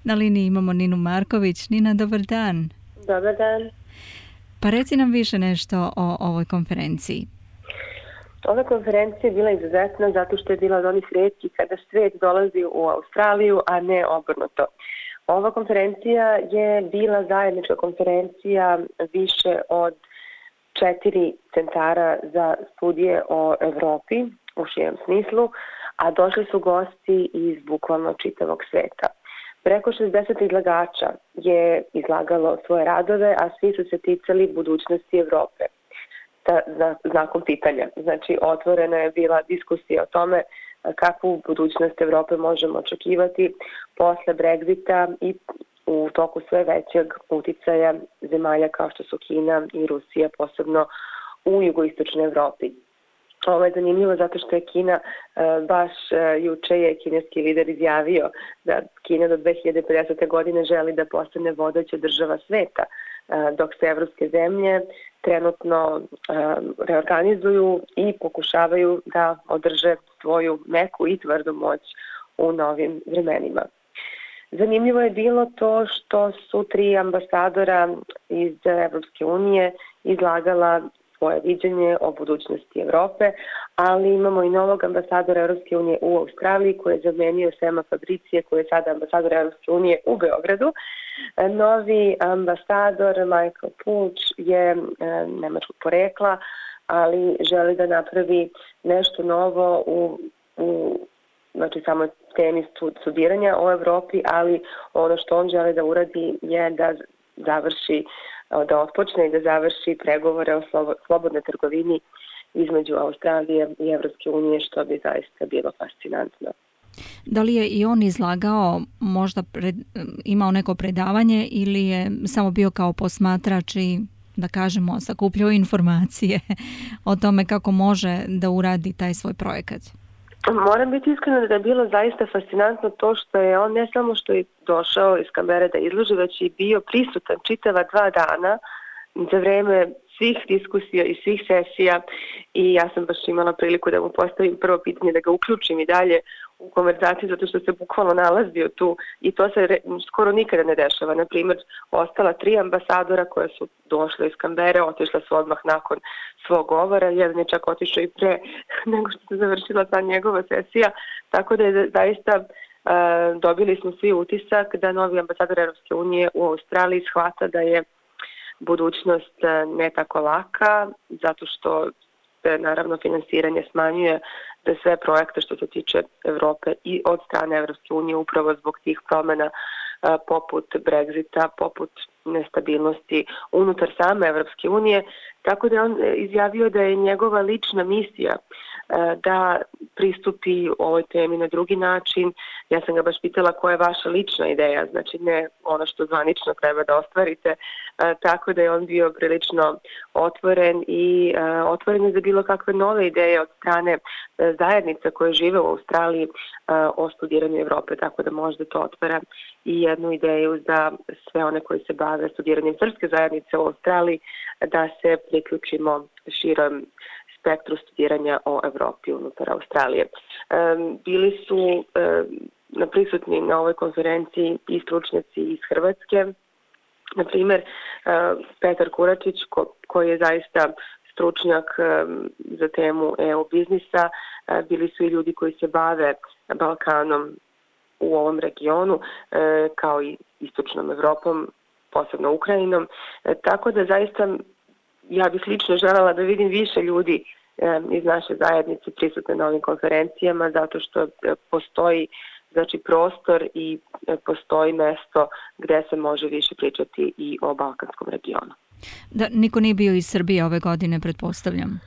Na liniji imamo Ninu Marković. Nina, dobar dan. Dobar dan. Pa reci nam više nešto o ovoj konferenciji. Ova konferencija je bila izuzetna zato što je bila od onih rijetkih kada svijet dolazi u Australiju, a ne obrnuto. Ova konferencija je bila zajednička konferencija više od 4 centara za studije o Evropi u širem smislu, a došli su gosti iz bukvalno čitavog sveta. Preko 60 izlagača je izlagalo svoje radove, a svi su se ticali budućnosti Evrope. Znakom pitanja. Znači, otvorena je bila diskusija o tome kakvu budućnost Evrope možemo očekivati posle Brexita i u toku sve većeg uticaja zemalja kao što su Kina i Rusija, posebno u jugoistočnoj Evropi. Ovo je zanimljivo zato što je Kina, baš juče je kineski lider izjavio da Kina do 2050. godine želi da postane vodeća država sveta, dok se evropske zemlje trenutno reorganizuju i pokušavaju da održe svoju meku i tvrdu moć u novim vremenima. Zanimljivo je bilo to što su 3 ambasadora iz Evropske unije izlagala svoje viđenje o budućnosti Evrope, ali imamo i novog ambasadora Evropske unije u Australiji koji je zamenio Sema Fabricije, koji je sada ambasador Evropske unije u Beogradu. Novi ambasador Michael Pulch je nemačkog porekla, ali želi da napravi nešto novo u znači samo temi studiranja o Evropi, ali ono što on želi da uradi je da otpočne i da završi pregovore o slobodnoj trgovini između Australije i Evropske unije, što bi zaista bilo fascinantno. Da li je i on izlagao, možda imao neko predavanje ili je samo bio kao posmatrač i, da kažemo, sakupljao informacije o tome kako može da uradi taj svoj projekat? Moram biti iskrena da je bilo zaista fascinantno to što je on ne samo što je došao iz Kambere da izloži, već i bio prisutan čitava 2 dana za vreme svih diskusija i svih sesija i ja sam baš imala priliku da mu postavim prvo pitanje, da ga uključim i dalje u konverzaciju zato što se bukvalno nalazio tu i to se skoro nikada ne dešava. Na primjer, ostala 3 ambasadora koja su došla iz Kambere, otišla su odmah nakon svog govora, jedan je čak otišao i pre nego što se završila ta njegova sesija, tako da je zaista dobili smo svi utisak da novi ambasador Evropske unije u Australiji shvata da je budućnost ne tako laka, zato što se naravno finansiranje smanjuje za sve projekte što se tiče Evrope i od strane Evropske unije upravo zbog tih promjena poput Brexita, poput nestabilnosti unutar same Evropske unije, tako da je on izjavio da je njegova lična misija da pristupi ovoj temi na drugi način. Ja sam ga baš pitala koja je vaša lična ideja, znači ne ono što zvanično treba da ostvarite, tako da je on bio prilično otvoren i otvoren je za bilo kakve nove ideje od strane zajednica koje žive u Australiji o studiranju Evrope, tako da možda to otvara i jednu ideju za sve one koji se bave studiranjem srpske zajednice u Australiji, da se priključimo širom spektru studiranja o Evropi unutar Australije. Bili su prisutni na ovoj konferenciji i stručnjaci iz Hrvatske, na primjer Petar Kuračić koji je zaista stručnjak za temu EU biznisa, bili su i ljudi koji se bave Balkanom u ovom regionu, kao i istočnom Evropom, posebno Ukrajinom, tako da zaista ja bih lično željela da vidim više ljudi iz naše zajednice prisutne na ovim konferencijama, zato što postoji prostor i postoji mesto gde se može više pričati i o balkanskom regionu. Da, niko nije bio iz Srbije ove godine, pretpostavljam?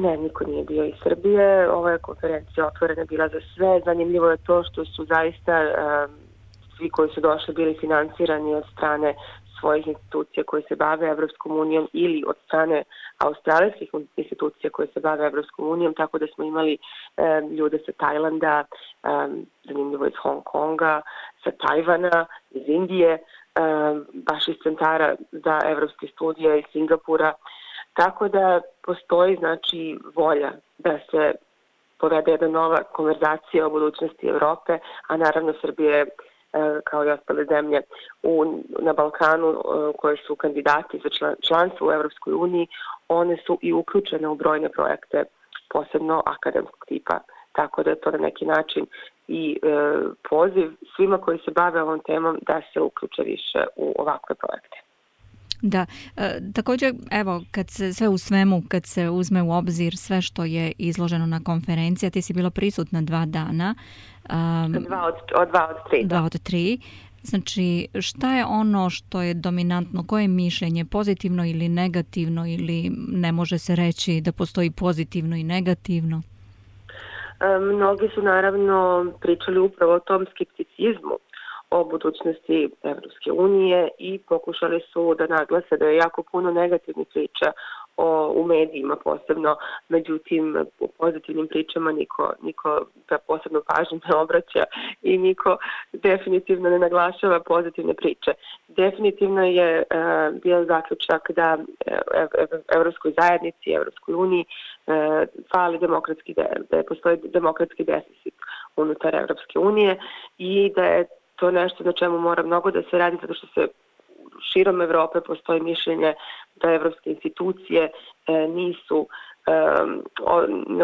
Ne, niko nije bio iz Srbije. Ova je konferencija otvorena bila za sve. Zanimljivo je to što su zaista svi koji su došli bili finansirani od strane svojih institucija koje se bave Evropskom unijom ili od strane australijskih institucija koje se bave Evropskom unijom, tako da smo imali ljude sa Tajlanda, zanimljivo iz Hong Konga, sa Tajvana, iz Indije, baš iz centara za evropske studije iz Singapura, tako da postoji znači volja da se povede jedna nova konverzacija o budućnosti Evrope, a naravno Srbija je kao i ostale zemlje na Balkanu koje su kandidati za članstvo u Evropskoj uniji, one su i uključene u brojne projekte, posebno akademskog tipa. Tako da je to na neki način i poziv svima koji se bave ovom temom da se uključe više u ovakve projekte. Da, također, evo, kad se sve u svemu, kad se uzme u obzir sve što je izloženo na konferenciji, ti si bila prisutna 2 dana. 2 od 3. Znači, šta je ono što je dominantno, koje je mišljenje, pozitivno ili negativno, ili ne može se reći da postoji pozitivno i negativno? Mnogi su naravno pričali upravo o tom skepticizmu o budućnosti Evropske unije i pokušali su da naglase da je jako puno negativnih priča u medijima posebno, međutim u pozitivnim pričama niko da posebno pažnju ne obraća i niko definitivno ne naglašava pozitivne priče. Definitivno je bio zaključak da Evropskoj zajednici, Evropskoj uniji fali demokratski, da postoji demokratski deficit unutar Evropske unije i da je to nešto na čemu mora mnogo da se radi, zato što se širom Evrope postoji mišljenje da evropske institucije nisu,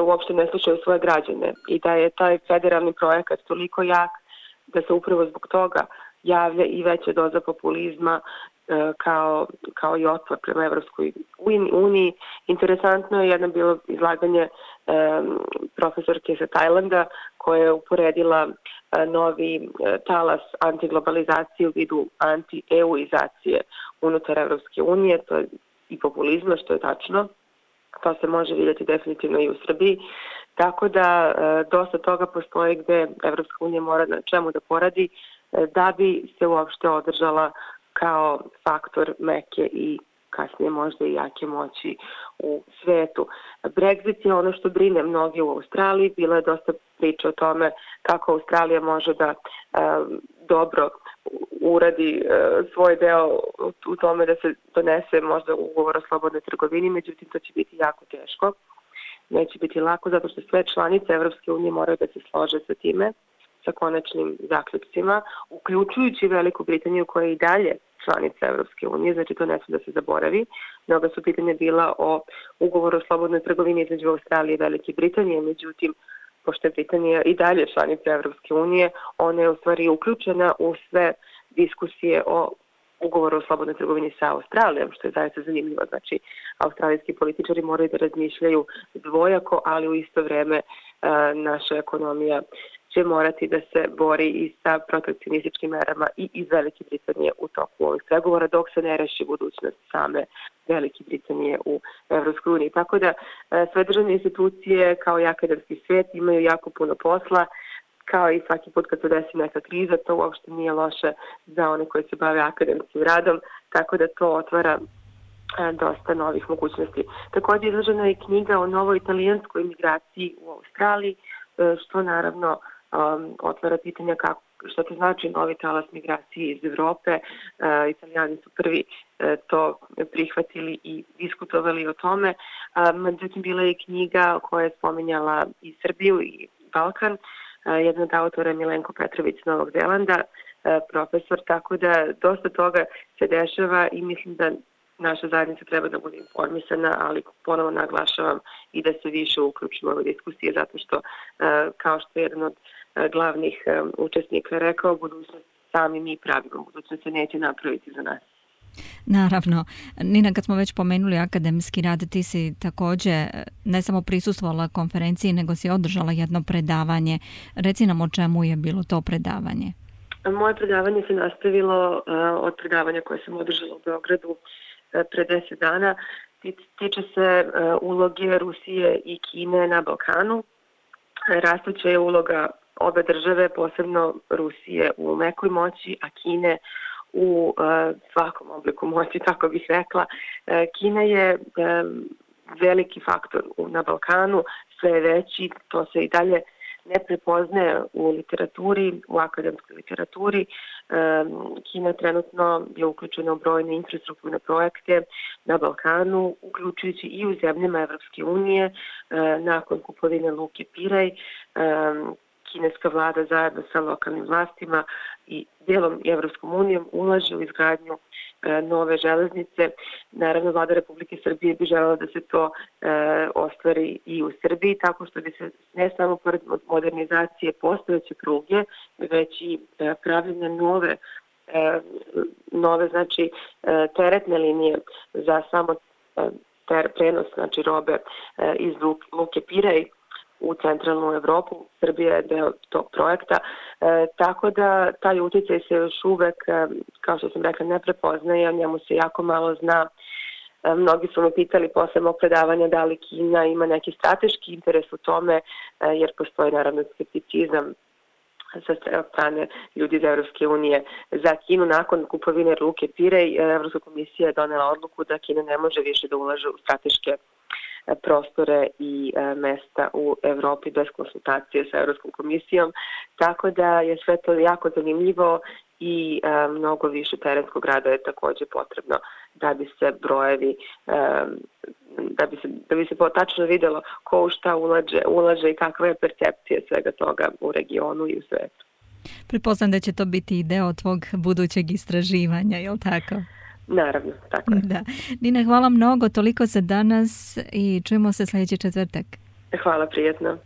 uopšte ne slušaju svoje građane i da je taj federalni projekat toliko jak da se upravo zbog toga javlja i veća doza populizma kao i otpor prema Evropskoj uniji. Interesantno je jedno bilo izlaganje profesorke sa Tajlanda koja je uporedila novi talas antiglobalizacije u vidu anti-EU-izacije unutar Evropske unije, to je i populizma, što je tačno. To se može vidjeti definitivno i u Srbiji. Tako da dosta toga postoji gde Evropska unija mora na čemu da poradi da bi se uopšte održala kao faktor meke i kasnije možda i jake moći u svetu. Brexit je ono što brine mnogi u Australiji. Bilo je dosta priča o tome kako Australija može da dobro uradi svoj deo u tome da se donese možda ugovor o slobodnoj trgovini, međutim to će biti jako teško. Neće biti lako zato što sve članice Evropske unije moraju da se slože sa time, sa konačnim zaključcima, uključujući Veliku Britaniju koja je i dalje članica Evropske unije, znači to ne sme da se zaboravi. Mnoga su pitanja bila o ugovoru o slobodnoj trgovini između Australije i Velike Britanije, međutim, pošto je Britanija i dalje članica Evropske unije, ona je u stvari uključena u sve diskusije o ugovoru o slobodnoj trgovini sa Australijom, što je zaista zanimljivo. Znači, australijski političari moraju da razmišljaju dvojako, ali u isto vreme naša ekonomija će morati da se bori i sa protekcionističkim merama i iz Velike Britanije u toku ovih pregovora, dok se ne reši budućnost same Velike Britanije u Evropskoj uniji. Tako da sve državne institucije kao i akademski svijet imaju jako puno posla, kao i svaki put kad se desi neka kriza, to uopšte nije loše za one koji se bave akademskim radom, tako da to otvara dosta novih mogućnosti. Također izložena je knjiga o novoj italijanskoj migraciji u Australiji, što naravno otvara pitanja što to znači novi talas migracije iz Evrope. Italijani su prvi to prihvatili i diskutovali o tome. Međutim, bila je knjiga koja je spominjala i Srbiju i Balkan. Jedna od autora je Milenko Petrović s Novog Zelanda, profesor, tako da dosta toga se dešava i mislim da naša zajednica treba da bude informisana, ali ponovo naglašavam i da se više uključimo u ove diskusije, zato što, kao što je jedan od glavnih učesnika rekao, budućnost sami mi pravimo, budućnost se neće napraviti za nas. Naravno. Nina, kad smo već pomenuli akademski rad, ti si također ne samo prisustvovala konferenciji, nego si održala jedno predavanje. Reci nam o čemu je bilo to predavanje. Moje predavanje se nastavilo od predavanja koje sam održala u Beogradu pre 10 dana. Tiče se uloge Rusije i Kine na Balkanu. Rastuća je uloga obe države, posebno Rusije u mekoj moći, a Kine u svakom obliku moći, tako bih rekla. Kina je veliki faktor na Balkanu, sve je veći, to se i dalje ne prepoznaje u literaturi, u akademskoj literaturi. Kina trenutno je uključena u brojne infrastrukturne projekte na Balkanu, uključujući i u zemljama Evropske unije, nakon kupovine Luke Piraj. kineska vlada zajedno sa lokalnim vlastima i dijelom Evropskom unijom ulaže u izgradnju nove železnice. Naravno, vlada Republike Srbije bi želela da se to ostvari i u Srbiji, tako što bi se ne samo pored modernizacije postojeće pruge, već i pravljenje nove znači teretne linije za samo prenos znači robe iz luke Pirej u centralnu Evropu. Srbija je deo tog projekta, tako da taj utjecaj se još uvek, kao što sam rekla, ne prepoznaje, o njemu se jako malo zna. Mnogi su me pitali posle mog predavanja da li Kina ima neki strateški interes u tome, jer postoji naravno skepticizam sa strane ljudi iz Evropske unije za Kinu. Nakon kupovine luke Pirej, Evropska komisija je donela odluku da Kina ne može više da ulaže u strateške prostore i mesta u Evropi bez konsultacije sa Evropskom komisijom, tako da je sve to jako zanimljivo i mnogo više terenskog rada je također potrebno da bi se brojevi, da bi se tačno vidjelo ko u šta ulaže i kakva je percepcija svega toga u regionu i u svetu. Pretpostavljam da će to biti i deo tvog budućeg istraživanja, je li tako? Naravno, tako je. Da. Nina, hvala mnogo, toliko za danas i čujemo se sljedeći četvrtak. Hvala, prijetno.